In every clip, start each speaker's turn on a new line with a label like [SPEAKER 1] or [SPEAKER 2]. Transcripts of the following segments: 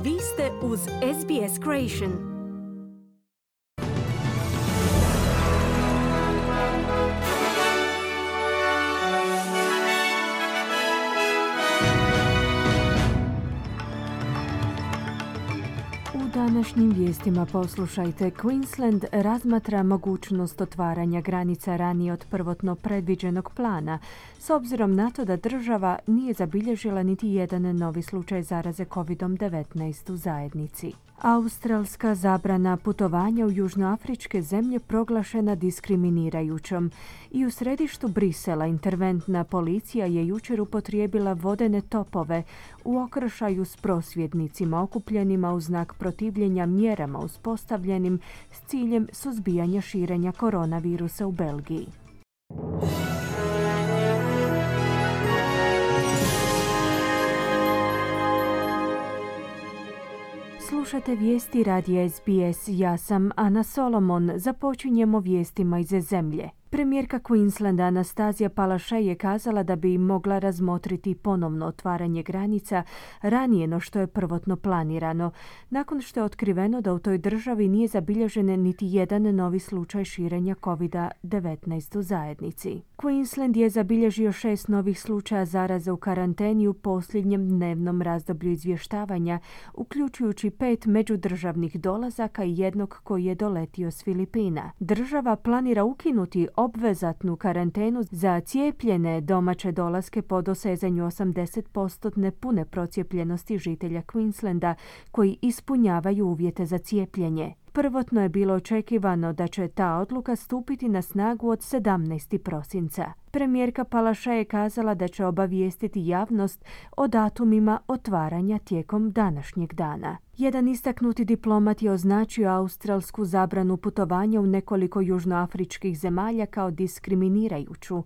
[SPEAKER 1] Vi ste uz SBS Creation. U današnjim vijestima poslušajte. Queensland razmatra mogućnost otvaranja granica ranije od prvotno predviđenog plana, s obzirom na to da država nije zabilježila niti jedan novi slučaj zaraze COVID-19 u zajednici. Australska zabrana putovanja u južnoafričke zemlje proglašena diskriminirajućom i u središtu Brisela interventna policija je jučer upotrijebila vodene topove u okršaju s prosvjednicima okupljenima u znak protivljenja mjerama uspostavljenim s ciljem suzbijanja širenja koronavirusa u Belgiji. Slušate vijesti radija SBS. Ja sam Ana Solomon. Započinjemo vijestima iz zemlje. Premijerka Queenslanda Anastazija Palaszczuk je kazala da bi mogla razmotriti ponovno otvaranje granica ranije no što je prvotno planirano, nakon što je otkriveno da u toj državi nije zabilježen niti jedan novi slučaj širenja COVID-19 u zajednici. Queensland je zabilježio 6 novih slučaja zaraze u karanteni u posljednjem dnevnom razdoblju izvještavanja, uključujući 5 međudržavnih dolazaka i jednog koji je doletio s Filipina. Država planira ukinuti obvezatnu karantenu za cijepljene domaće dolaske po dosezanju 80% pune procijepljenosti žitelja Queenslanda koji ispunjavaju uvjete za cijepljenje. Prvotno je bilo očekivano da će ta odluka stupiti na snagu od 17. prosinca. Premijerka Palaszczuk je kazala da će obavijestiti javnost o datumima otvaranja tijekom današnjeg dana. Jedan istaknuti diplomat je označio australsku zabranu putovanja u nekoliko južnoafričkih zemalja kao diskriminirajuću.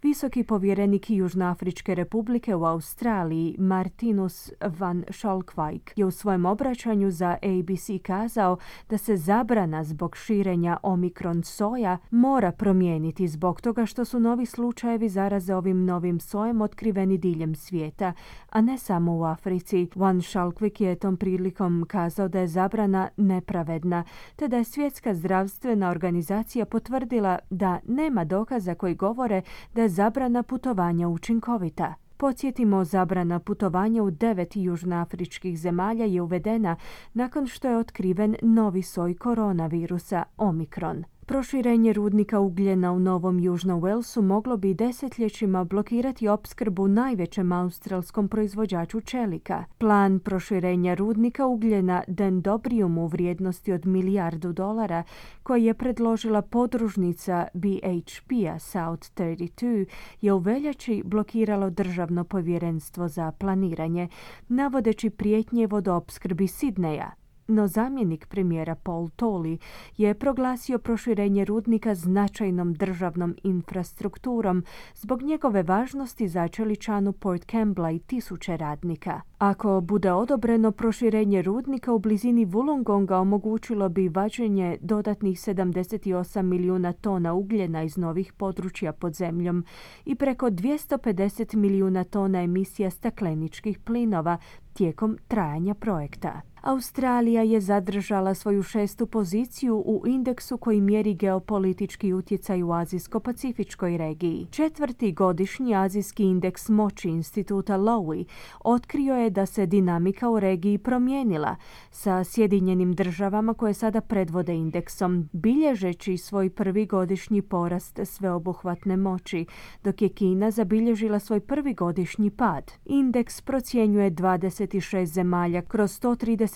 [SPEAKER 1] Visoki povjerenik Južnoafričke republike u Australiji, Martinus van Schalkwijk, je u svojem obraćanju za ABC kazao da se zabrana zbog širenja Omikron soja mora promijeniti zbog toga što su novi slučajevi zaraze ovim novim sojem otkriveni diljem svijeta, a ne samo u Africi. Van Schalkwijk je tom prilikom kazao da je zabrana nepravedna, te da je Svjetska zdravstvena organizacija potvrdila da nema dokaza koji govore da je zabrana putovanja učinkovita. Podsjetimo, zabrana putovanja u 9 južnoafričkih zemalja je uvedena nakon što je otkriven novi soj koronavirusa Omikron. Proširenje rudnika ugljena u Novom Južnom Walesu moglo bi desetljećima blokirati opskrbu najvećem australskom proizvođaču čelika. Plan proširenja rudnika ugljena Dendrobium u vrijednosti od $1 milijardu koji je predložila podružnica BHP-a South 32 je u veljači blokiralo državno povjerenstvo za planiranje, navodeći prijetnje vodoopskrbi Sidneja. No zamjenik premijera Paul Tolley je proglasio proširenje rudnika značajnom državnom infrastrukturom zbog njegove važnosti za čeličanu Port Campbella i 1000 radnika. Ako bude odobreno, proširenje rudnika u blizini Wollongonga omogućilo bi vađenje dodatnih 78 milijuna tona ugljena iz novih područja pod zemljom i preko 250 milijuna tona emisija stakleničkih plinova tijekom trajanja projekta. Australija je zadržala svoju 6. poziciju u indeksu koji mjeri geopolitički utjecaj u azijsko-pacifičkoj regiji. 4. godišnji azijski indeks moći instituta Lowy otkrio je da se dinamika u regiji promijenila, sa Sjedinjenim državama koje sada predvode indeksom, bilježeći svoj prvi godišnji porast sveobuhvatne moći, dok je Kina zabilježila svoj prvi godišnji pad. Indeks procjenjuje 26 zemalja kroz 131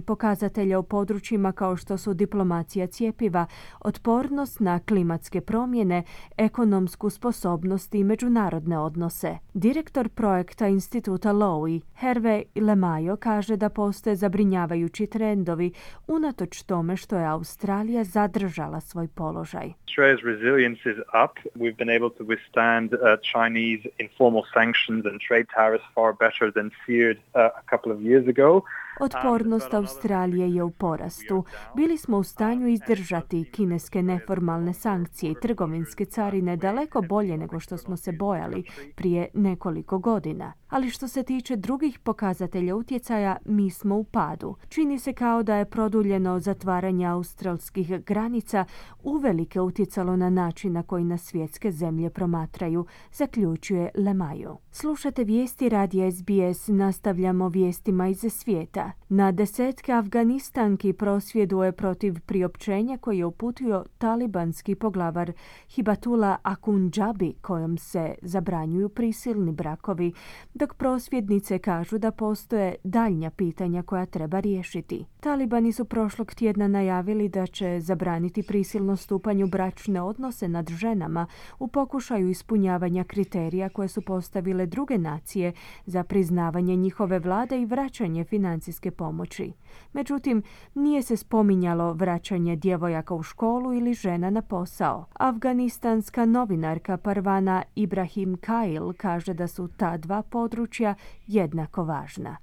[SPEAKER 1] pokazatelja u područjima kao što su diplomacija cjepiva, otpornost na klimatske promjene, ekonomsku sposobnost i međunarodne odnose. Direktor projekta instituta Lowy, Hervé Lemajo, kaže da postoje zabrinjavajući trendovi unatoč tome što je Australija zadržala svoj položaj.
[SPEAKER 2] Australia's resilience is up. We've been able to withstand Chinese informal sanctions and trade tariffs far better than feared a couple of years ago.
[SPEAKER 1] Otpornost Australije je u porastu. Bili smo u stanju izdržati kineske neformalne sankcije i trgovinske carine daleko bolje nego što smo se bojali prije nekoliko godina. Ali što se tiče drugih pokazatelja utjecaja, mi smo u padu. Čini se kao da je produljeno zatvaranje australskih granica uvelike utjecalo na način na koji nas svjetske zemlje promatraju, zaključuje Lemayu. Slušate vijesti radija SBS, nastavljamo vijestima iz svijeta. Na desetke Afganistanki prosvjeduje protiv priopćenja koje je uputio talibanski poglavar Hibatullah Akhundzabi, kojom se zabranjuju prisilni brakovi, dok prosvjednice kažu da postoje daljnja pitanja koja treba riješiti. Talibani su prošlog tjedna najavili da će zabraniti prisilno stupanje u bračne odnose nad ženama u pokušaju ispunjavanja kriterija koje su postavile druge nacije za priznavanje njihove vlade i vraćanje financijske pomoći. Međutim, nije se spominjalo vraćanje djevojaka u školu ili žena na posao. Afganistanska novinarka Parvana Ibrahim Kail kaže da su ta dva područja jednako važna.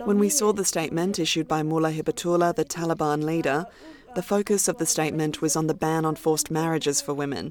[SPEAKER 3] When we saw the statement issued by Mullah Hibatullah, the Taliban leader, the focus of the statement was on the ban on forced marriages for women.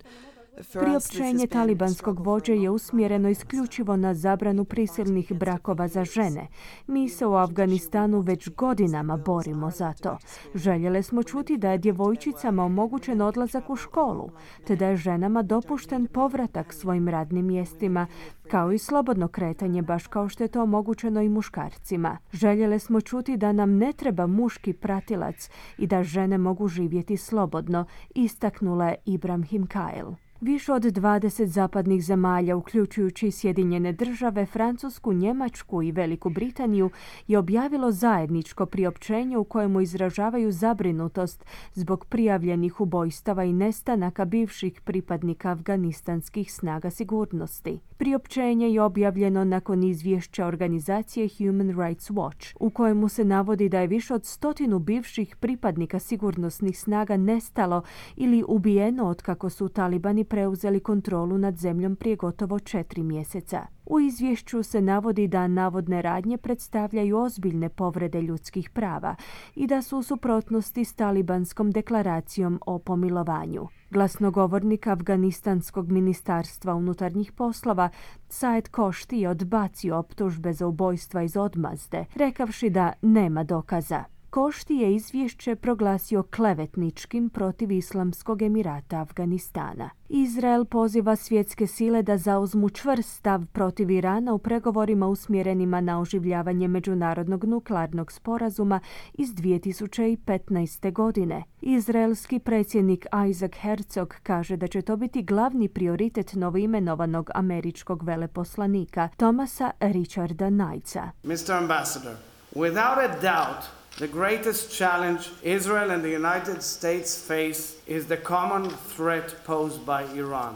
[SPEAKER 1] Priopćenje talibanskog vođe je usmjereno isključivo na zabranu prisilnih brakova za žene. Mi se u Afganistanu već godinama borimo za to. Željeli smo čuti da je djevojčicama omogućen odlazak u školu, te da je ženama dopušten povratak svojim radnim mjestima, kao i slobodno kretanje, baš kao što je to omogućeno i muškarcima. Željeli smo čuti da nam ne treba muški pratilac i da žene mogu živjeti slobodno, istaknula je Ibrahim Kail. Više od 20 zapadnih zemalja, uključujući Sjedinjene države, Francusku, Njemačku i Veliku Britaniju, je objavilo zajedničko priopćenje u kojemu izražavaju zabrinutost zbog prijavljenih ubojstava i nestanaka bivših pripadnika afganistanskih snaga sigurnosti. Priopćenje je objavljeno nakon izvješća organizacije Human Rights Watch, u kojemu se navodi da je više od 100 bivših pripadnika sigurnosnih snaga nestalo ili ubijeno otkako su Talibani preuzeli kontrolu nad zemljom prije gotovo 4 mjeseca. U izvješću se navodi da navodne radnje predstavljaju ozbiljne povrede ljudskih prava i da su u suprotnosti s talibanskom deklaracijom o pomilovanju. Glasnogovornik Afganistanskog ministarstva unutarnjih poslova Saed Košti je odbacio optužbe za ubojstva iz odmazde, rekavši da nema dokaza. Košti je izvješće proglasio klevetničkim protiv Islamskog Emirata Afganistana. Izrael poziva svjetske sile da zauzmu čvrst stav protiv Irana u pregovorima usmjerenima na oživljavanje međunarodnog nuklearnog sporazuma iz 2015. godine. Izraelski predsjednik Isaac Herzog kaže da će to biti glavni prioritet novoimenovanog američkog veleposlanika Thomasa Richarda Knightsa.
[SPEAKER 4] Mr. Ambassador, without a doubt, the greatest challenge Israel and the United States face is the common threat posed by Iran.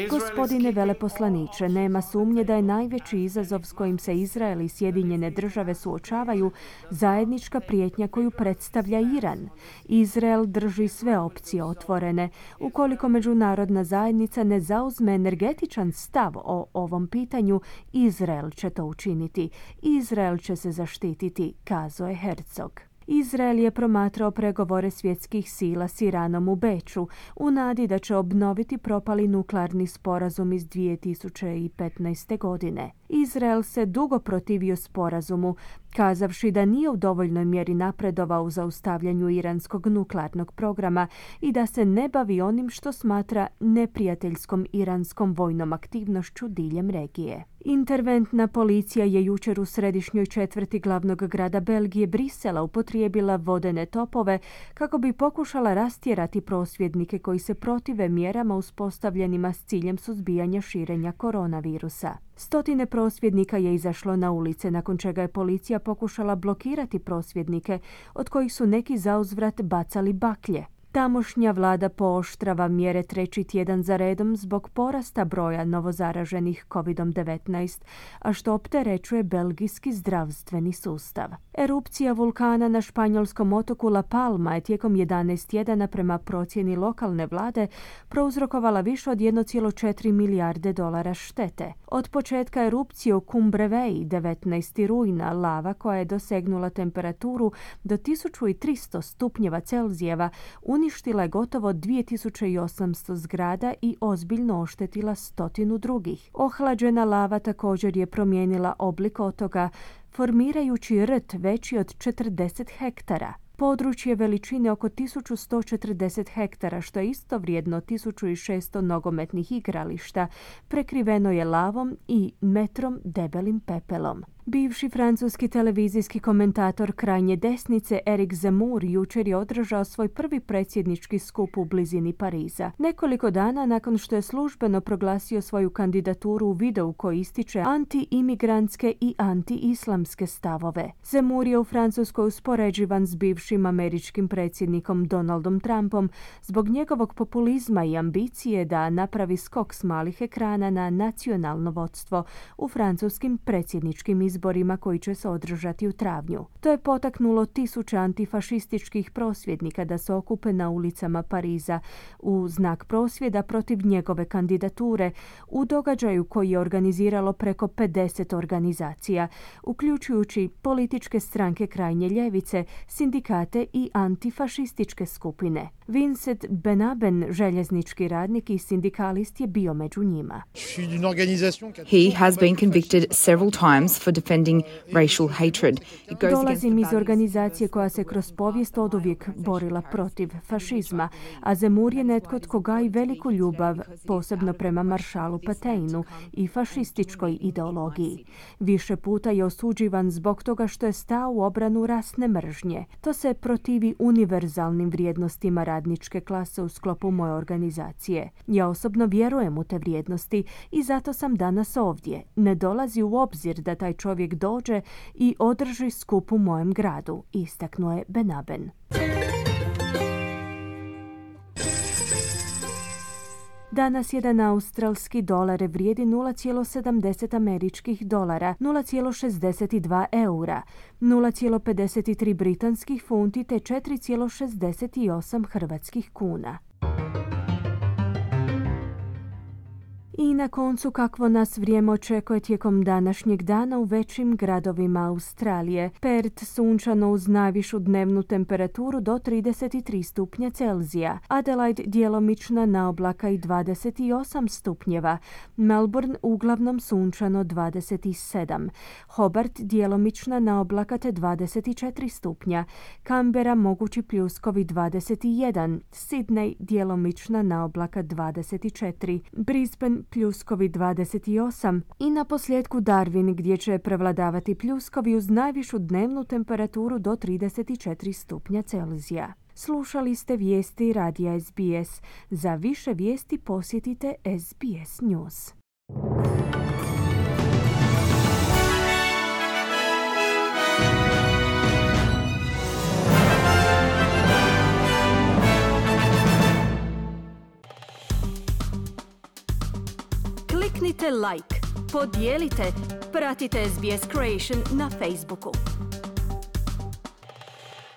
[SPEAKER 1] Gospodine veleposlaniče, nema sumnje da je najveći izazov s kojim se Izrael i Sjedinjene države suočavaju zajednička prijetnja koju predstavlja Iran. Izrael drži sve opcije otvorene. Ukoliko međunarodna zajednica ne zauzme energetičan stav o ovom pitanju, Izrael će to učiniti. Izrael će se zaštititi, kazao je Herzog. Izrael je promatrao pregovore svjetskih sila s Iranom u Beču u nadi da će obnoviti propali nuklearni sporazum iz 2015. godine. Izrael se dugo protivio sporazumu, kazavši da nije u dovoljnoj mjeri napredovao u zaustavljanju iranskog nuklearnog programa i da se ne bavi onim što smatra neprijateljskom iranskom vojnom aktivnošću diljem regije. Interventna policija je jučer u središnjoj četvrti glavnog grada Belgije, Brisela, upotrijebila vodene topove kako bi pokušala rastjerati prosvjednike koji se protive mjerama uspostavljenima s ciljem suzbijanja širenja koronavirusa. Stotine prosvjednika je izašlo na ulice, nakon čega je policija pokušala blokirati prosvjednike, od kojih su neki zauzvrat bacali baklje. Tamošnja vlada pooštrava mjere treći tjedan za redom zbog porasta broja novozaraženih COVID-19, a što opterećuje belgijski zdravstveni sustav. Erupcija vulkana na španjolskom otoku La Palma je tijekom 11 tjedana prema procjeni lokalne vlade prouzrokovala više od 1,4 milijarde dolara štete. Od početka erupcije u Cumbrevei 19. rujna lava koja je dosegnula temperaturu do 1300 stupnjeva Celzijeva uništila je gotovo 2800 zgrada i ozbiljno oštetila 100 drugih. Ohlađena lava također je promijenila oblik otoka, formirajući rt veći od 40 hektara. Područje veličine oko 1140 hektara, što je isto vrijedno 1600 nogometnih igrališta, prekriveno je lavom i metrom debelim pepelom. Bivši francuski televizijski komentator krajnje desnice Eric Zemmour jučer je održao svoj prvi predsjednički skup u blizini Pariza. Nekoliko dana nakon što je službeno proglasio svoju kandidaturu u videu koji ističe anti-imigrantske i anti-islamske stavove. Zemmour je u Francuskoj uspoređivan s bivšim američkim predsjednikom Donaldom Trumpom zbog njegovog populizma i ambicije da napravi skok s malih ekrana na nacionalno vodstvo u francuskim predsjedničkim izborima koji će se održati u travnju. To je potaknulo tisuće antifašističkih prosvjednika da se okupe na ulicama Pariza u znak prosvjeda protiv njegove kandidature u događaju koji je organiziralo preko 50 organizacija, uključujući političke stranke krajnje ljevice, sindikate i antifašističke skupine. Vincent Benaben, željeznički radnik i sindikalist, je bio među njima.
[SPEAKER 5] He has been convicted several times for defending racial hatred.
[SPEAKER 1] Dolazim iz organizacije koja se kroz povijest oduvijek borila protiv fašizma, a Zemmour je netko tko gaji veliku ljubav, posebno prema maršalu Pétainu i fašističkoj ideologiji. Više puta je osuđivan zbog toga što je stao u obranu rasne mržnje. To se protivi univerzalnim vrijednostima radničke klase u sklopu moje organizacije. Ja osobno vjerujem u te vrijednosti i zato sam danas ovdje. Ne dolazi u obzir da taj čovjek dođe i održi skup u mojem gradu, istaknuo je Benaben. Danas jedan australski dolar vrijedi 0,70 američkih dolara, 0,62 eura, 0,53 britanskih funti te 4,68 hrvatskih kuna. I na koncu kakvo nas vrijeme očekuje tijekom današnjeg dana u većim gradovima Australije. Perth sunčano uz najvišu dnevnu temperaturu do 33 stupnja Celzija. Adelaide djelomična naoblaka i 28 stupnjeva. Melbourne uglavnom sunčano 27. Hobart djelomična naoblaka te 24 stupnja. Canberra mogući pljuskovi 21. Sydney djelomična naoblaka 24. Brisbane pljuskovi 28 i na posljedku Darwin gdje će prevladavati pljuskovi uz najvišu dnevnu temperaturu do 34 stupnja Celzija. Slušali ste vijesti radija SBS. Za više vijesti posjetite SBS News. Kliknite like, podijelite, pratite SBS Creation na Facebooku.